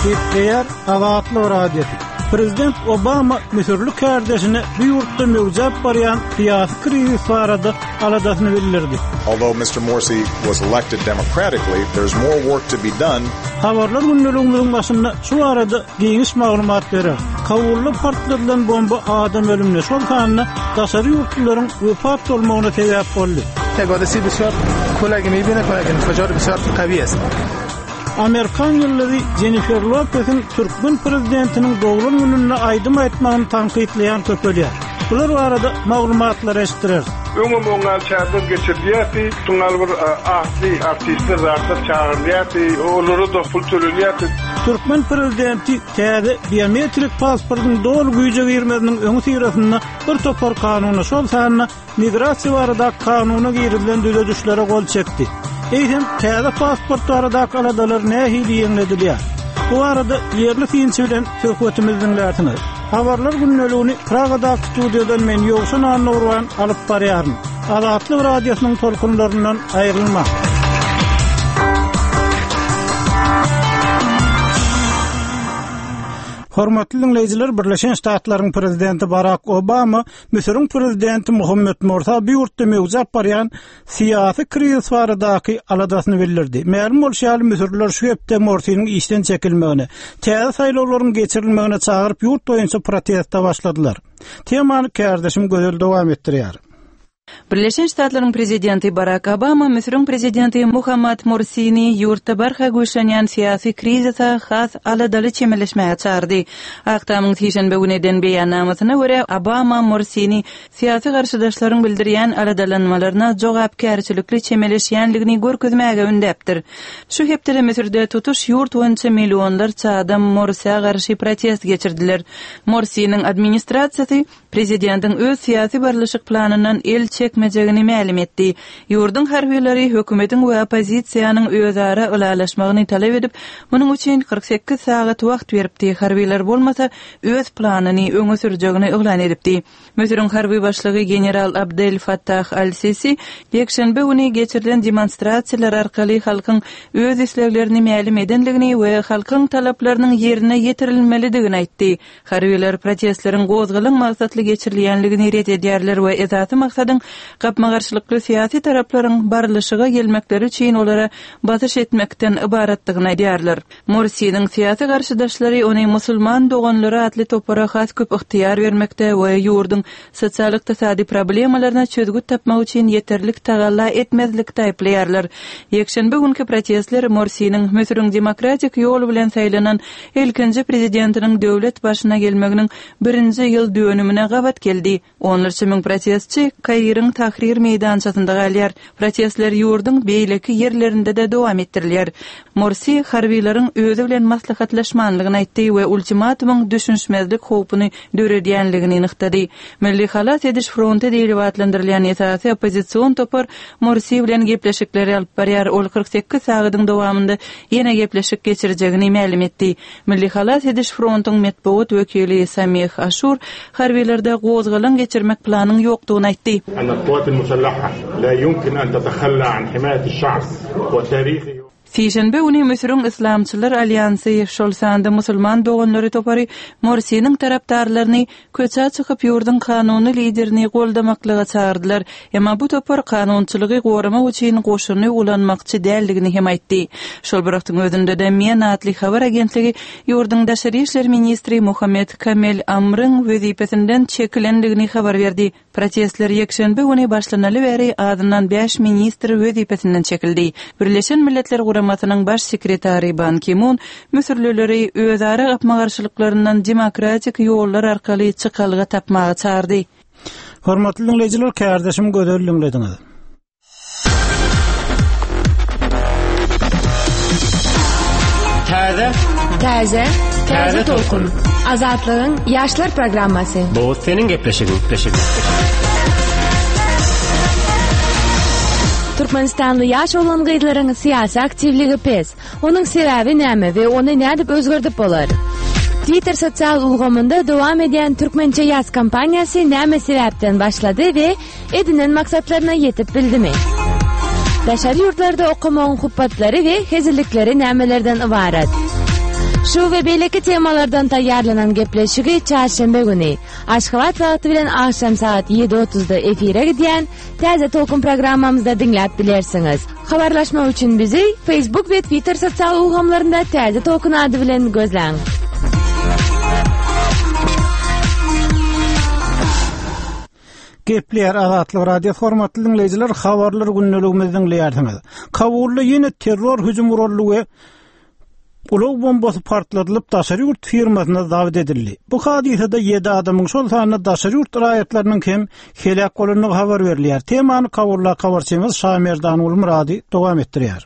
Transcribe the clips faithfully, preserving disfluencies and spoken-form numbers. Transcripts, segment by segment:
Gepleýär Azatlyk Radiosy. Prezident Obama Müsürli kardeşine bu ýurtda möwjap barýan syýasy krizis barada aladasyny bildirdi. Although Mister Morsi was elected democratically, there's more work to be done. Habarlar gündeligimizin başynda şu arada geniş maglumat berer. Kabulda partladylan bomba adam ölümine, şol sanda daşary ýurtlylaryň wepat bolmagyna sebäp boldy. حادثه بسیار کلگ میبینه کلگ انفجار بسیار قوی است. Amerikan ýyldyzy Jennifer Lopez'in Türkmen prezidentiniň doglan gününe aýdym aýtmagyny tankytlaýan köpelýär. Bular barada maglumatlar eşitdirer. Öňüm oňal çärden geçirilýärdi, şuňal bir atly artistler zatlar çağırylýardy, olara da pul tölenýärdi. Türkmen prezidenti täze biometrik pasportyň doly güýje girmesiniň öňi syrasynda bir topar kanuna, şol sanda migrasiýa barada kanuna girizilen düzedişlere gol çekdi. Eýsem täze pasport baradaky aladalar nähili ýeňledilýär? Bu arada ýerli synçy bilen söhbetimizi diňlärsiňiz. Habarlar gündeligini Pragadaky studiýadan men Ýowşan Annurwan alyp barýaryn. Azatlyk radiosynyň tolkunlaryndan aýrylma. Hormatly dinleýjiler, Birleşen Ştatlaryň prezidenti Barack Obama Müsüriň prezidenti Muhammed Morsa bu ýurtda möwjap barýan syýasy krizis baradaky aladasyny bildirdi. Mälim bolşy ýaly Müsürliler şu hepde Morsiniň işden çekilmegini, täze saýlawlaryň geçirilmegine çagyryp ýurt boýunça proteste başladylar. Temany kärdeşim Gözel dowam etdirýär. Birleşen Ştatlaryň prezidenti Barack Obama Müsüriň prezidenti Muhammad Morsini ýurtda barha güýçlenýän syýasy krizise has aladaly çemeleşmäge çağırdy. Ak Tamyň sişenbe güni eden beýannamasyna görä Obama Morsini syýasy garşydaşlaryň bildirýän aladalanmalaryna jogapkärçilikli çemeleşýänligini görkezmäge ündäpdir. Şu hepdede Müsürde tutuş ýurt boýunça millionlarça adam Morsä garşy protest geçirdiler. Morsiniň administrasiýasy prezidentiň öz syýasy barlyşyk planyndan el çekmejegini mälim etdi. Ýurduň harbileri hökümetiň we oppozisiýanyň özara ylalaşmagyny talap edip, munuň üçin kyrk sekiz sagat wagt beripdi. Harbiler bolmasa öz planyny öňe sürjegini yglan edipdi. Müsüriň harby başlygy general Abdel Fattah al-Sisi ýekşenbe güni geçirilen demonstrasiýalar arkaly halkyň öz isleglerini mälim edenligini we halkyň talaplarynyň ýerine ýetirilmelidigini aýtdy. Harbiler protestleriň gozgalyň maksatly geçirilýänligini ret edýärler we esasy maksadyň gapma-garşylykly syýasy taraplaryň barlyşyga gelmekleri üçin olara basyş etmekden ybaratdygyny aýdýarlar. Morsiniň syýasy garşydaşlary ony musulman doganlary atly topara has köp ygtyýar bermekde we ýurduň sosial-ykdysady problemalaryna çözgüt tapmak üçin ýeterlik tagalla etmezlikde aýyplaýarlar. Ýekşenbe günki protestler Morsiniň Müsüriň demokratik ýol bilen saýlanan ilkinji prezidentiniň döwlet başyna gelmeginiň birinji ýyl dönümine gabat geldi. Onlarça müň protestçi Kairiň Tahrir meýdançasynda galýar. Protestler ýurduň beýleki ýerlerinde de dowam etdirilýär. Morsi harbiýlaryň özi bilen maslahatlaşmanlygyny aýtdy we ultimatumyň düşünişmezlik howpuny döredýänligini nygtady. Milli halas ediş fronty diýlip atlandyrylýan esasy oppozision topar Morsi bilen gepleşikleri alyp barýar. Ol kyrk sekiz sagadyň dowamynda ýene gepleşik geçirjegini mälim etdi. Milli halas ediş frontyň metbugat wekili Samih Aşur harbiýlerde gozgalaň geçirmek planyň ýokdugyny aýtdy. أن القوات المسلحة لا يمكن أن تتخلى عن حماية الشعب وتاريخه. Sişenbe güni Müsüriň Islamçylar Alýansy, şol sanda musulman doganlary topary Morsiniň tarapdarlaryny köçä çykyp ýurduň kanuny liderini goldamaklyga çağırdylar. Emma bu topar kanunçylygy goramak üçin goşuny ulanmakçy däldigini hem aýtdy. Şol bir wagtyň özünde de Men atly habar agentligi ýurduň daşary işler ministri Muhammed Kamel Amryň wezipesinden çekilendigini habar berdi. Protestler ýekşenbe güni başlanaly bäri adyndan bäş ministr wezipesinden çekildi. Birleşen Milletler Guramasynyň baş sekretary Ban Ki-mun Müsürlileri özara gapma-garşylyklaryndan demokratik ýollar arkaly çykalga tapmaga çağırdy. Hormatly dinleýjiler, kärdeşim Gözel dinlediňiz. Täze, Täze, Täze tolkun. Azatlygyň ýaşlar programmasy. Bu seniň gepleşigiň, gepleşigiň. Türkmenistanly ýaş oglan gyzlaryň syýasy aktiwligi pes. Onuň sebäbi näme we ony nädip özgerdip bolar? Twitter sosial ulgamynda dowam edýän Türkmençe ýaz kampaniýasy näme sebäpden başlady we edinen maksatlaryna ýetip bildimi? Daşary ýurtlarda okamagyň hupbatlary we hezillikleri nämelerden ybarat? Şu we beýleki temalardan taýýarlanan gepleşigi çarşenbe güni Aşgabat wagty bilen agşam saat ýedi otuzda efire gidýän Täze Tolkun programmamyzda diňläp bilersiňiz. Habarlaşmak üçin bizi Facebook we Twitter sosial ulgamlarynda Täze Tolkun ady bilen gözläň. Gepleýär Azatlyk Radiosy hormatly diňleýjiler, habarlar gündeligimizi diňleýärsiňiz. Kabulda ýene terror hüjüm guraldy we ulag bombasy partladylyp daşary ýurt firmasyna zabt edildi. Bu hadysada ýedi adamyň, şol sanda daşary ýurt raýatlarynyň hem heläk bolandygy habar berilýär. Temany Kabuldaky habarçymyz Şamerdan Gulmyrady dowam etdirýär.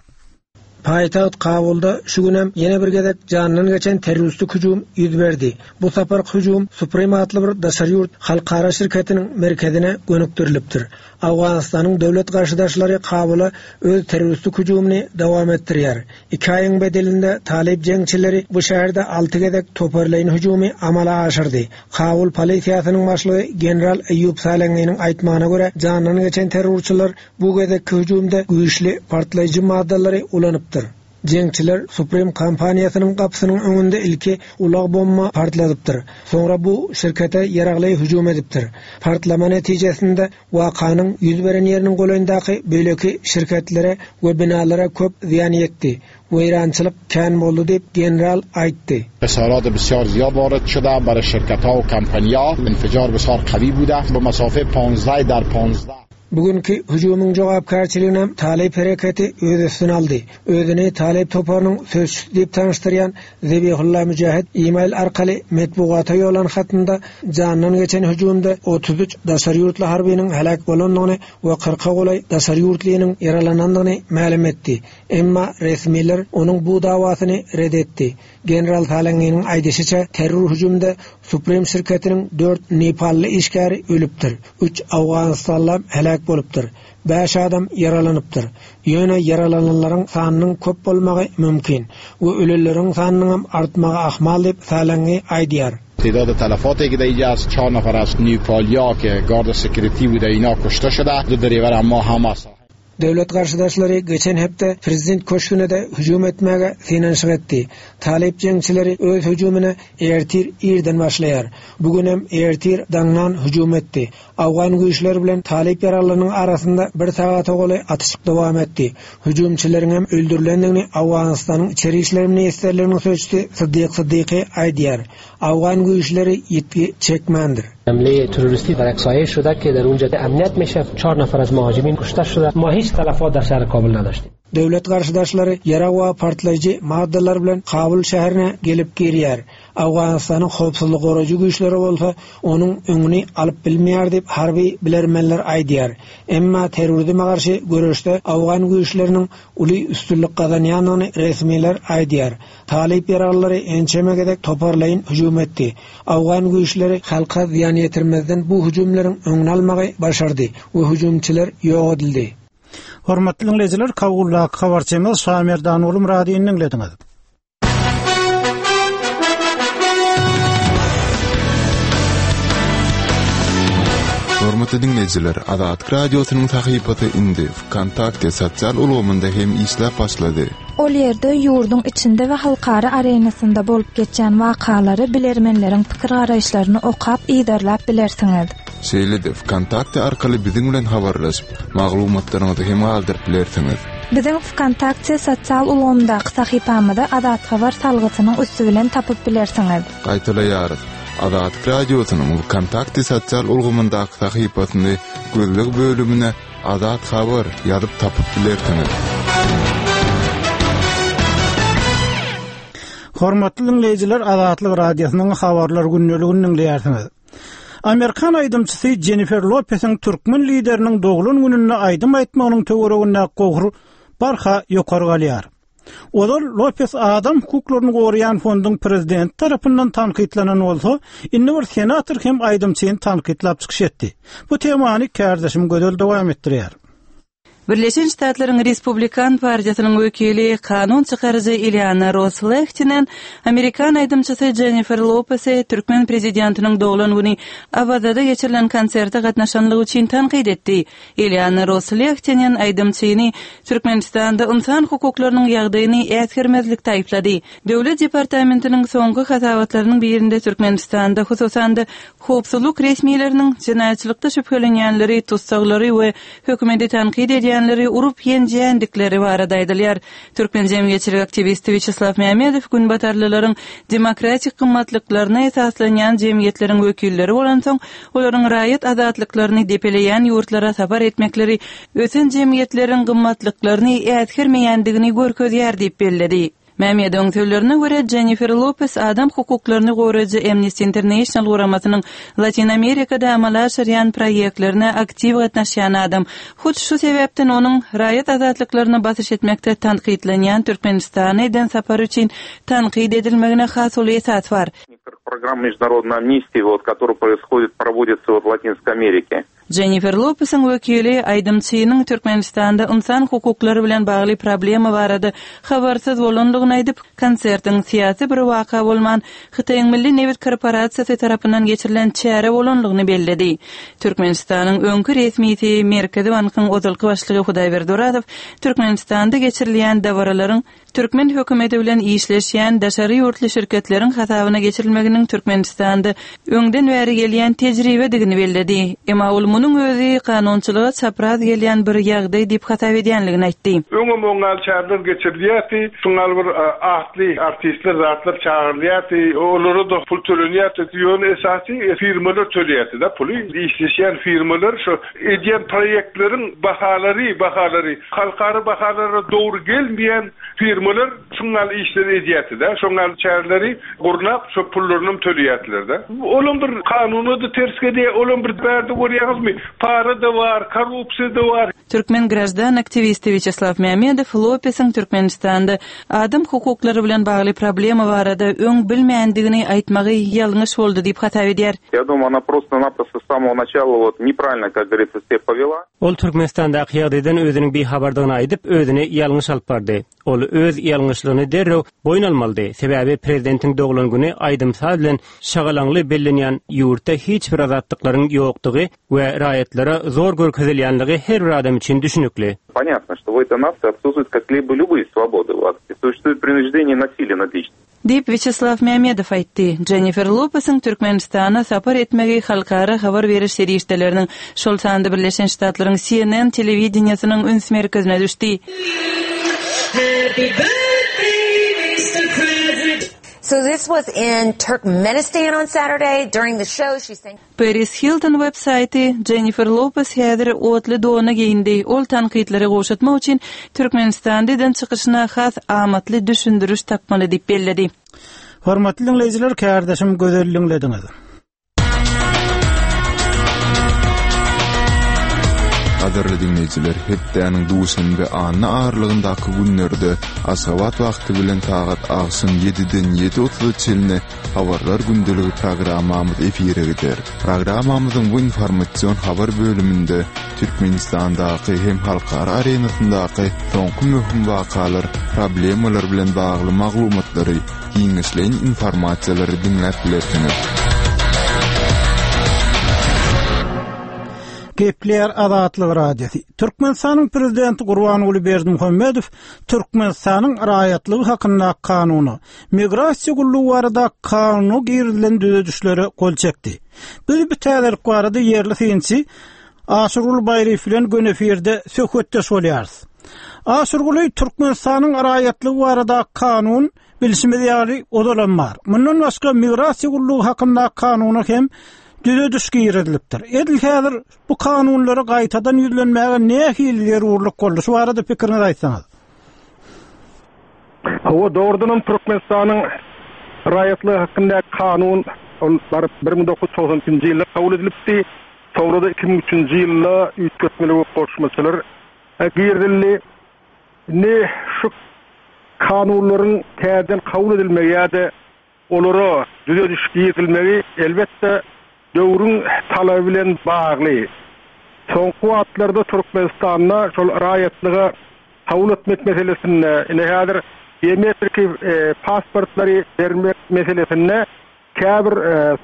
Paýtagt Kabulda şu günem ýene bir gezek jandan geçen terroristik hüjüm ýüz berdi. Bu saparky hüjüm Supreme atly bir daşary ýurt halkara şirketiniň merkezine gönükdirilipdir. Owganystanyň döwlet garşydaşlary Kabula öz terroristik hüjümini dowam etdirýär. Iki aýyň bedelinde talyp jeňçileri bu şäherde alty gezek toparlaýyn hüjümi amala aşyrdy. Kabul polisiýasynyň başlygy general Eýýup Salenginiň aýtmagyna görä, jandan geçen terrorçylar bu gezekki hüjümde güýçli partlaýjy maddalary ulanypdyr. Jeňçiler Supreme kompaniýasynyň gapysynyň öňünde ilki ulag bomba partladypdyr. Soňra bu şirkete ýaragly hüjüm edipdir. Partlama netijesinde wakanyň ýüz beren ýeriniň golaýyndaky beýleki şirketlere we binalara köp zyýan ýetdi. Weýrançylyk kän boldy diýip general aýtdy. Хисарат бисёр зиёд ворид шуда барои ширкатҳо ва компанияҳо. Инфиҷор бисёр қавӣ буда ба масофаи понздаҳ дар понздаҳ. Bu günki hüjümiň jogapkärçiligini Talyp hereketi öz üstüne aldy. Özüni Talyp toparynyň sözçüsi diýip tanyşdyrýan Zebihulla Mücahit e-mail arkaly metbugata ýollan hatynda jandan geçen hüjümde otuz üç daşary ýurtly harbynyň heläk bolandygyny we kyrka golaý daşary ýurtlynyň ýaralanandygyny mälim etdi. Emma resmiler onuň bu dawasyny red etdi. General Salenginiň aýdyşyça terror hüjümde Supreme şirketiniň dört nepally işgäri ölüpdir. Üç Owganystanly heläk bolupdyr. Bäş adam ýaralanypdyr. Ýöne ýaralananlaryň sanynyň köp bolmagy mümkin we ölenleriň sanynyň hem artmagy ahmal diýip Salengi aýdýar. تعداد تلفاتی که در اینجا است چهار نفر از نیپالیا که گارد سکیوریتی بوده اینا کشته شده. دو دریور ما هم است. Döwlet garşydaşlary geçen hepde prezident köşgüne-de hüjüm etmäge synanyşyk etdi. Talyp jeňçileri öz hüjümine ertir irden başlaýar. Bu günem ertir daňdan hüjüm etdi. Awgan güýçleri bilen talyp ýaraglarynyň arasynda bir sagata golaý atyşyk dowam etdi. Hüjümçileriň hem öldürilendigini Owganystanyň İçeri İşler Ministrliginiň sözçüsi Siddiq Siddiqi aýdýar. Awgan güýçleri ýitgi çekmändir. حمله terroristi در یک سایه شده که در اونجا امنیت میشه. چهار نفر از مهاجمین کشته شده. ما هیچ تلفات در شهر کابل نداشتیم. Döwlet garşydaşlary ýarag we partlaýjy maddalar bilen Kabul şäherine gelip girýär. Owganystanyň howpsuzlyk goraýjy güýçleri bolsa onuň öňüni alyp bilmeýär diýip harby bilermenler aýdýar. Emma terrorizme garşy göreşde Owgan güýçleriniň uly üstünlik gazanýandygyny resmiler aýdýar. Talyp ýaraglary ençeme gezek toparlaýyn hüjüm etdi. Owgan güýçleri halka zyýan ýetirmezden bu hüjümleriň öňüni almagy başardy we hüjümçiler ýok edildi. Hormatly dinleýjiler, Kabuldaky habarçymyz Şamerdan Gulmyradyny diňlediňiz. Hormatly dinleýjiler, Azatlyk Radiosynyň sahypasy indi VKontakte sosial ulgamynda hem işläp başlady. Ol ýerde ýurduň içinde we halkara arenasynda bolup geçen wakalary bilermenleriň pikir garaýyşlaryny okap yzarlap bilersiňiz. Şeýle-de VKontakte arkaly biziň bilen habarlaşyp, maglumatlaryňyzy hem galdyryp bilersiňiz. Biziň VKontakte sosial ulgamdaky sahypamyzy Azat Habar salgysynyň üsti bilen tapyp bilersiňiz. Gaýtalaýarys. Azatlyk Radiosynyň VKontakte sosial ulgamyndaky sahypasyny gözleg bölümine Azat Habar ýazyp tapyp bilersiňiz. Hormatly dinleýjiler, Azatlyk Radiosynyň habarlar gündeligini dinleýärsiňiz. Amerikan aýdymçysy Jennifer Lopez'iň türkmen lideriniň doglan gününde aýdym aýtmagynyň töwereginde gohur barha ýokary galýar. Ozal Lopez adam hukuklaryny goraýan fonduň prezidenti tarapyndan tankytlanan bolsa, indi bir senator hem aýdymçyny tankytlap çykyş etdi. Bu temany kärdeşim Gözel dowam etdirýär. Birleşen Ştatlaryň Respublikan partiýasynyň wekili kanun çykaryjy Ileana Ros-Lehtinen amerikan aýdymçysy Jennifer Lopesi türkmen prezidentiniň doglan güni Awazada geçirilen konserte gatnaşanlygy üçin tankyt etdi. Ileana Ros-Lehtinen aýdymçyny Türkmenistanda ynsan hukuklarynyň ýagdaýyny äsgermezlikde aýyplady. Döwlet departamentiniň soňky hasabatlarynyň birinde Türkmenistanda hususan-da howpsuzlyk resmileriniň jenaýatçylykda şübhelenýänleri, tussaglary we hökümeti tankyt edýänleri urup ýenjýändikleri barada aýdylýar. Türkmen jemgyýetçilik aktiwisti Wýaçeslaw Mämmedow günbatarlylaryň demokratik gymmatlyklaryna esaslanýan jemgyýetleriň wekilleri bolansoň, olaryň raýat azatlyklaryny depeleýän ýurtlara sapar etmekleri ösen jemgyýetleriň gymmatlyklaryny äsgermeýändigini görkezýär diýip belledi. Mämmedowyň sözlerine görä, Jennifer Lopez adam hukuklaryny goraýjy Amnesty International guramasynyň Latin Amerikada amala aşyrýan proýektlerine aktiw gatnaşýan adam. Hut şu sebäpden onuň raýat azatlyklaryna basyş etmekde tankytlanýan Türkmenistana eden sapary üçin tankyt edilmegine has uly esas bar. Программа международной амнистии, вот, которая происходит, проводится вот в Латинской Америке. Jennifer Lopesiň wekili aýdymçynyň Türkmenistanda ynsan hukuklary bilen bagly problema barada habarsyz bolandygyny aýdyp, konsertiň syýasy bir waka bolman, Hytaýyň Milli nebit korporasiýasy tarapyndan geçirilen çäre bolandygyny belledi. Türkmenistanyň öňki resmisi Merkezi bankyň ozalky başlygy Hudaýberdi Orazow Türkmenistanda geçirilýän dabaralaryň türkmen hökümeti bilen işleşýän daşary ýurtly şirketleriň hasabyna geçirilmeginiň Türkmenistanda öňden bäri gelýän tejribedigini belledi. Emma ol munuň özi kanunçylyga çapraz gelýän bir ýagdaý diýip hasap edýänligini aýtdy. Öňem oňňal çäreler geçirilýärdi, şuňňal bir atly artistler zatlar çagyrylýardy, olara-da pul tölenýärdi. Ýöne esasy firmalar töleýärdi-de puly. Işleşýän firmalar şu edýän proýektleriň bahalary, bahalary halkara bahalara dogry gelmeýän firmalar şuňňal işleri edýärdi-de, şoňňal çäreleri gurnap şu pullarynam töleýärdiler-de. Olam bir kanuna-da ters gelýär, olam bir bärde görýäňizmi, para-da bar, korrupsiýa-da bar. Türkmen graždan aktiwisti Wýaçeslaw Mämmedow Lopesiň Türkmenistanda adam hukuklary bilen bagly problema barada öň bilmändigini aýtmagy ýalňyş boldy diýip hasap edýär. Я думаю, она просто-напросто с самого начала вот неправильно, как говорится, себя повела. Ol Türkmenistandaky ýagdaýdan özüniň bihabardygyny aýdyp, özüni ýalňyş alyp bardy. Ol öz ýalňyşlygyny derrew boýun almalydy. Sebäbi prezidentiň doglan güni aýdym-saz bilen şagalaňly bellenýän ýurtda hiç bir azatlyklaryň ýokdugy we raýatlara zor görkezilýänligi her bir adam üçin düşünikli. Понятно, что в этой нации отсутствуют как-либо любые свободы. Вот. И существует принуждение насилия над личностью. Diýip Wýaçeslaw Mämmedow aýtdy. Jennifer Lopesiň Türkmenistana sapar etmegi halkara habar beriş serişdeleriniň, şol sanda Birleşen Ştatlaryň C N N telewideniýesiniň üns merkezine düşdi. Happy birthday, Mister President. So this was in Turkmenistan on Saturday. During the show, she sang... Paris Hilton web saýty Jennifer Lopez häzir otly dona geýindi. Ol tankytlary gowşatmak üçin Türkmenistanda eden çykyşyna has amatly düşündiriş tapmaly diýip belledi. Hormatly dinleýjiler, kärdeşim Gözel diňlediňiz. Gadyrly dinleýjiler, hepdäniň duşenbe anna aralygyndaky günlerde Aşgabat wagty bilen sagat agşam ýediden ýedi otuza çenli Habarlar gündeligi programmamyz efire gider. Programmamyzyň bu informasion habar bölüminde Türkmenistandaky hem halkara arenasyndaky soňky möhüm wakalar, problemalar bilen bagly maglumatlary, giňişleýin informasiýalary diňläp bilersiňiz. Gepleýär Azatlyk Radiosy. Türkmenistanyň prezidenti Gurbanguly Berdimuhamedow Türkmenistanyň raýatlygy hakyndaky kanuna, migrasiýa gullugy barada kanuna girizilen düzedişlere gol çekdi. Biz bu täzelik barada ýerli synçy Aşyrguly Baýryýew bilen göni efirde söhbetdeş bolýarys. Aşyrguly, Türkmenistanyň raýatlygy barada kanun bilşimiz ýaly ozalan bar. Mundan başga migrasiýa gullugy hakyndaky kanuna hem düzediş girizilipdir. Edil häzir bu kanunlara gaýtadan ýüzlenmäge nähili zerurlyk boldy? Şu barada pikiriňizi aýtsaňyz. Hawa, dogrudanam Türkmenistanyň raýatlygy hakyndaky kanun ol baryp bir müň dokuz ýüz togsan ikinji ýylda kabul edilipdi. Soňra da iki müň üçünji ýylda üýtgetmeli we goşmaçalar girizildi. Indi şu kanunlaryň täzeden kabul edilmegi ýa-da olara düzediş girizilmegi elbetde döwrüň talaby bilen bagly. Soňky wagtlarda Türkmenistanda şol raýatlyga kabul etmek meselesinde, ine häzir biometriki pasportlary bermek meselesinde käbir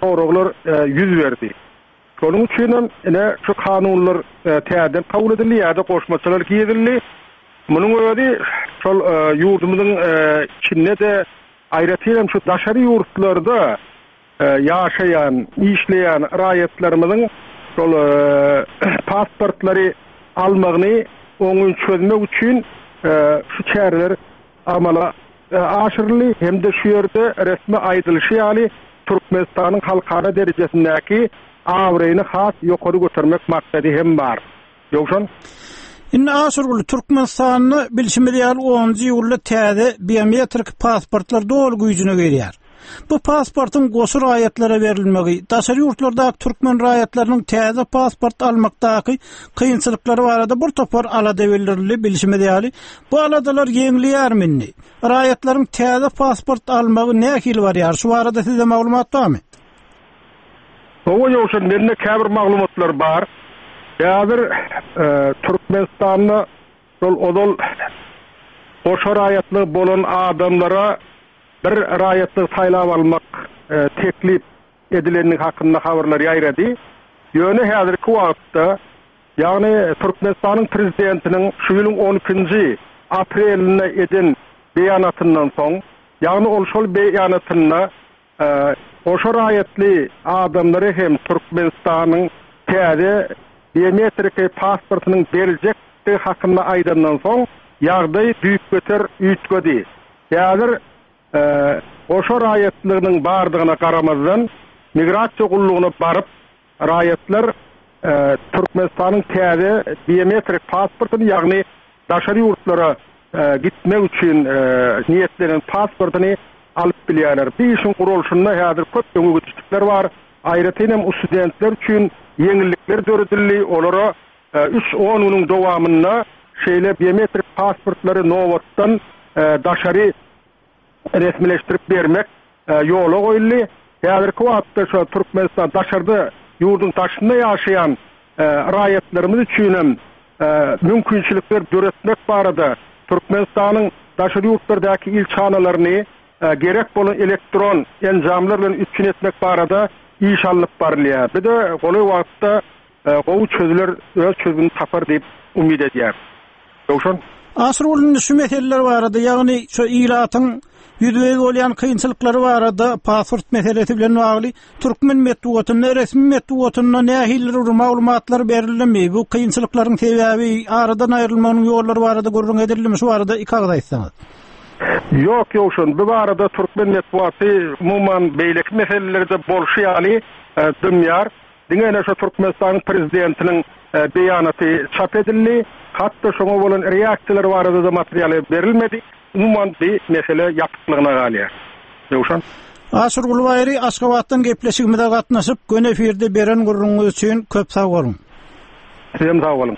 soraglar ýüz berdi. Şonuň üçin hem ine şu kanunlar täzeden kabul edildi ýa-da goşmaçalar girizildi. Munuň özi şol ýurdumyzyň içinde-de aýratyn hem şu daşary ýurtlarda ýaşaýan, işleýän raýatlarymyzyň şol pasportlary almagyny oňyn çözmek üçin şu çäreler amala aşyryldy hem-de şu ýerde resmi aýdylyşy ýaly Türkmenistanyň halkara derejesindäki abraýyny has ýokary götermek maksady hem bar. Ýowşan. Indi Aşyrguly, Türkmenistanda bilşimiz ýaly onunjy iýulda täze biometrik pasportlar doly güýjüne girýär. Bu pasportyň goşy raýatlara berilmegi, daşary ýurtlardaky türkmen raýatlarynyň täze pasport almakdaky kynçylyklary barada bir topar alada bildirildi, bilşimiz ýaly. Bu aladalar ýeňleýärmi indi? Raýatlaryň täze pasport almagy nähili barýar? Şu barada sizde maglumat barmy? Hawa, Ýowşan, mende käbir maglumatlar bar. Häzir Türkmenistanda şol ozal goşa raýatlygy bolan adamlara bir raýatlygy saýlap almak teklip edilendigi hakynda habarlar ýaýrady. Ýöne häzirki wagtda, ýagny Türkmenistanyň prezidentiniň şu ýylyň on ikinji aprelinde eden beýanatyndan soň, ýagny ol şol beýanatynda goşa raýatly adamlara hem Türkmenistanyň täze biometriki pasportynyň beriljekdigi hakynda aýdandan soň, ýagdaý düýpgöter üýtgedi. Häzir goşa raýatlygynyň bardygyna garamazdan, migrasiýa gullugyna baryp, raýatlar Türkmenistanyň täze biometrik pasportyny, ýagny daşary ýurtlara gitmek üçin niýetlenen pasportyny alyp bilýärler. Bu işiň guralşynda häzir köp öňe gidişlikler bar. Aýratyn hem studentler üçin ýeňillikler döredildi. Olara üç on günüň dowamynda şeýle biometrik pasportlary nobatdan daşary resmileşdirip bermek ýola goýuldy. Häzirki wagtda şu Türkmenistan daşarda ýurduň daşynda ýaşaýan raýatlarymyz üçin hem mümkinçilikler döretmek barada Türkmenistanyň daşary ýurtlardaky ilçihanalaryny gerek bolan elektron enjamlar bilen üpjün etmek barada iş alnyp barylýar. Bir de golaý wagtda gowy çözüler öz çözümini tapar diýip umyt edýär. Ýowşan. Aşyrgulyň şu meseleler barada, ýagny şu ilatyň ýüzbe-ýüz bolýan kynçylyklary barada pasport meselesi bilen bagly türkmen metbugatynda, resmi metbugatynda nähili bir maglumatlar berildimi? Bu kynçylyklaryň sebäbi aradan aýrylmagynyň ýollary barada gürrüň edildimi? Şu barada iki agyz aýtsaňyz. Ýok, Ýowşan, bu barada türkmen metbugaty umuman beýleki meselelerde bolşy ýaly dymýar. Diňe ene şu Türkmenistanyň prezidentiniň beýanaty çap edildi. Hatda şoňa bolan reaksiýalar barada da materialy berilmedi. Umuman bir mesele ýapyklygyna galýar. Ýowşan. Aşyrguly Baýry Aşgabatdan gepleşigimize gatnaşyp, göni efirde beren gürrüňiňiz üçin köp sag boluň. Sizem sag boluň.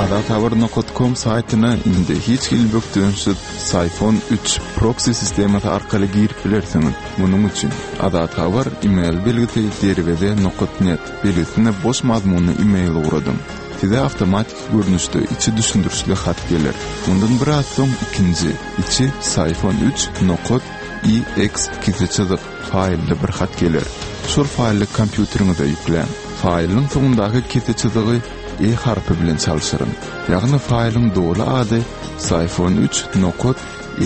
Azathabar nokta com saýtyna indi hiç hili bökdençsiz Syfon üç proxy sistemasy arkaly girip bilersiňiz. Munuň üçin Azathabar email belgisi derweze nokta net belgisine boş mazmunly email ugradyň. Size awtomatik görnüşde içi düşündirişli hat geler. Mundan biraz soň ikinji içi Syfon üç nokta E X kese çyzyk faýlly bir hat geler. Şol faýly kompýuteriňize ýükläň. Faýlyň soňundaky kese çyzygy E harpy bilen çalşyryň. Ýagny faýlyň doly ady Syfon üç nokta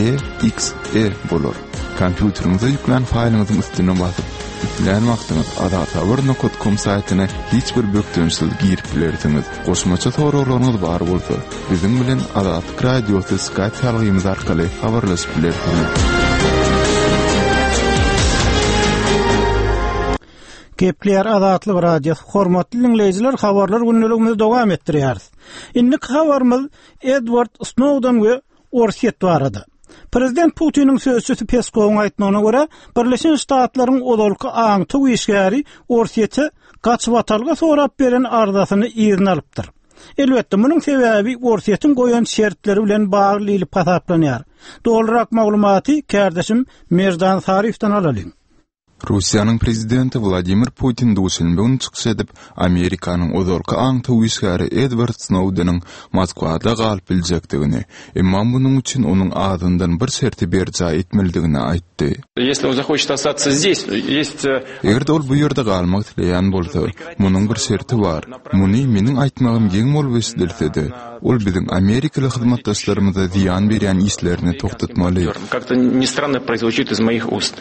E X E bolar. Kompýuteriňize ýüklän faýlyňyzyň üstüne basyp, islän wagtyňyz azathabar nokta com saýtyna hiç bir bökdençsiz girip bilersiňiz. Goşmaça soraglaryňyz bar bolsa, biziň bilen Azatlyk Radiosy Skype salgymyz arkaly habarlaşyp bilersiňiz. Gepler Azatlyk Radiosy hormatly dinleýjiler, habarlar gündeligimizi dowam etdirýäris. Indiki habarymyz Edward Snowden we Orsýet barada. Prezident Putiniň sözçüsi Peskowyň aýtmagyna görä, Birleşen Ştatlaryň ozalky aňtaw işgäri Orsýete gaçybatalga sorap beren arzasyny yzyna alypdyr. Elbetde, munuň sebäbi Orsýetiň goýan şertleri bilen bagly diýlip hasaplanýar. Dogrurak maglumaty kärdeşim Merdan Saryýewden alalyň. Russiýanyň prezidenti Wladimir Putin duşenbe güni çykyş edip, Amerikanyň ozalky aňtaw işgäri Edward Snowdeniň Moskwada galyp biljekdigini, emma munuň üçin onuň azyndan bir şerti berjaý etmelidigini aýtdy. Если он захочет остаться здесь, есть Eger-de ol bu ýerde galmak isleýän bolsa, munuň bir şerti bar. Muny meniň aýtmagym geň bolup eşidilse-de, ol biziň amerikaly hyzmatdaşlarymyza zyýan berýän işlerini togtatmaly. Как-то не странно прозвучит из моих уст.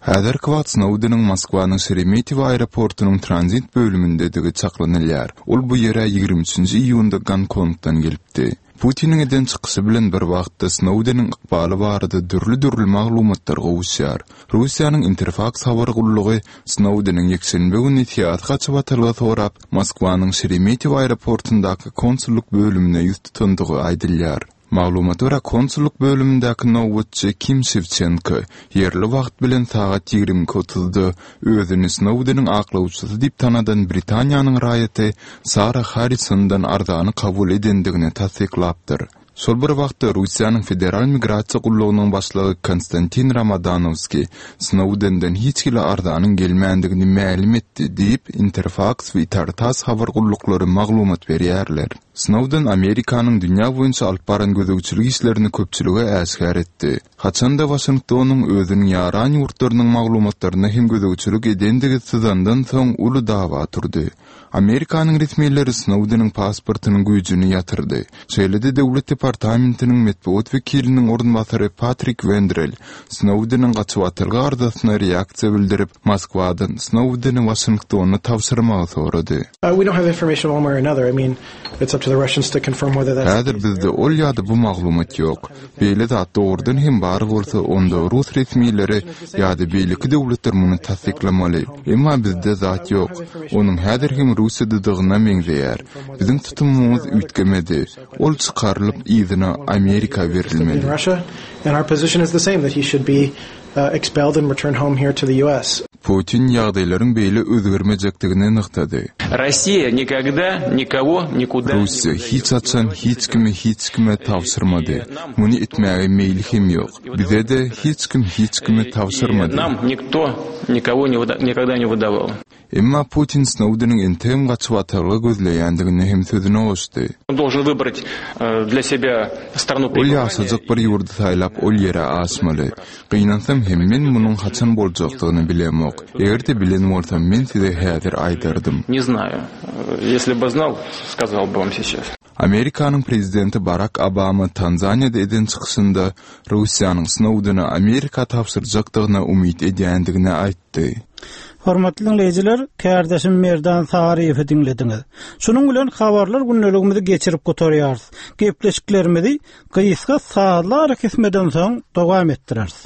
Häzirki wagt Snowdeniň Moskwanyň Şeremetýewo aeroportunyň tranzit bölümindedigi çaklanylýar. Ol bu ýere ýigrimi üçünji iýunda Gonkongdan gelipdi. Putiniň eden çykyşy bilen bir wagtda Snowdeniň ykbaly barada dürli-dürli maglumatlar gowuşýar. Russiýanyň Interfaks habar gullugy Snowdeniň ýekşenbe güni syýasy gaçybatalga sorap, Moskwanyň Şeremetýewo aeroportundaky konsullyk bölümine ýüz tutandygy aýdylýar. Maglumata görä, konsullyk bölümindäki nobatçy Kim Şewçenko ýerli wagt bilen sagat ýigrimi iki otuzda özüni Snowdeniň aklawçysy diýip tanadan Britaniýanyň raýaty Sara Harrisondan arzany kabul edendigini tassyklapdyr. Şol bir wagtda Russiýanyň Federal migrasiýa gullugynyň başlygy Konstantin Romodanowskiý Snowdenden hiç hili arzanyň gelmändigini mälim etdi diýip, Interfaks we Itar-Tass habar gulluklary maglumat berýärler. Snowden Amerikanyň dünýä boýunça alyp baran gözegçilik işlerini köpçülige äşgär etdi. Haçanda Waşingtonyň özüniň ýaran ýurtlarynyň maglumatlaryna hem gözegçilik edendigi syzandan soň uly dawa turdy. Amerikanyň resmileri Snowdeniň pasportynyň güýjüni ýatyrdy. Şeýle-de Döwlet departamentiniň metbugat wekiliniň orunbasary Patrik Wendrel Snowdeniň gaçybatalga arzasyna reaksiýa bildirip, Moskwadan Snowdeni Waşingtona tabşyrmagy sorady. Uh, we don't have information one way or another. I mean, it's up to the Russians to confirm whether that's Häzir bizde ol ýa-da bu maglumat ýok. Beýle zat dogrudan hem bar bolsa, onda rus resmileri ýa-da beýleki döwletler muny tassyklamaly. Emma bizde zat ýok. Onuň häzir hem Russiýadadygyna meňzeýär. Biziň tutumymyz üýtgemedi. Ol çykarylyp yzyna Amerika berilmeli. in Russia, and our position is the same that he should be uh, expelled and returned home here to the U S. Putin ýagdaýlaryň beýle özgermejekdigini nygtady. Россия никогда никого никуда Russiýa hiç haçan hiç kimi hiç kime tabşyrmady. Muny etmäge meýli hem ýok. Bize-de hiç kim hiç kimi tabşyrmady. Нам никто никого не выда- никогда не выдавал. Emma Putin Snowdeniň entegem gaçybatalga gözleýändigini hem sözüne goşdy. Он должен выбрать э, для себя страну Ol ýaşajak bir ýurdy saýlap, ol ýere aşmaly. Gynansam hem men munuň haçan boljakdygyny bilemok. Eger-de bilen bolsam, men size häzir aýdardym. Не знаю. Э, Если бы знал, сказал бы вам сейчас. Amerikanyň prezidenti Barak Obama Tanzaniýada eden çykyşynda Russiýanyň Snowdeni Amerika tabşyrjakdygyna umyt edýändigini aýtdy. Hormatly dinleýjiler, kärdeşim Merdan Saryýewi diňlediňiz. Şunuň bilen habarlar gündeligimizi geçirip gutarýarys. Gepleşiklerimizi gysga sazlar kesmeden soň dowam etdireris.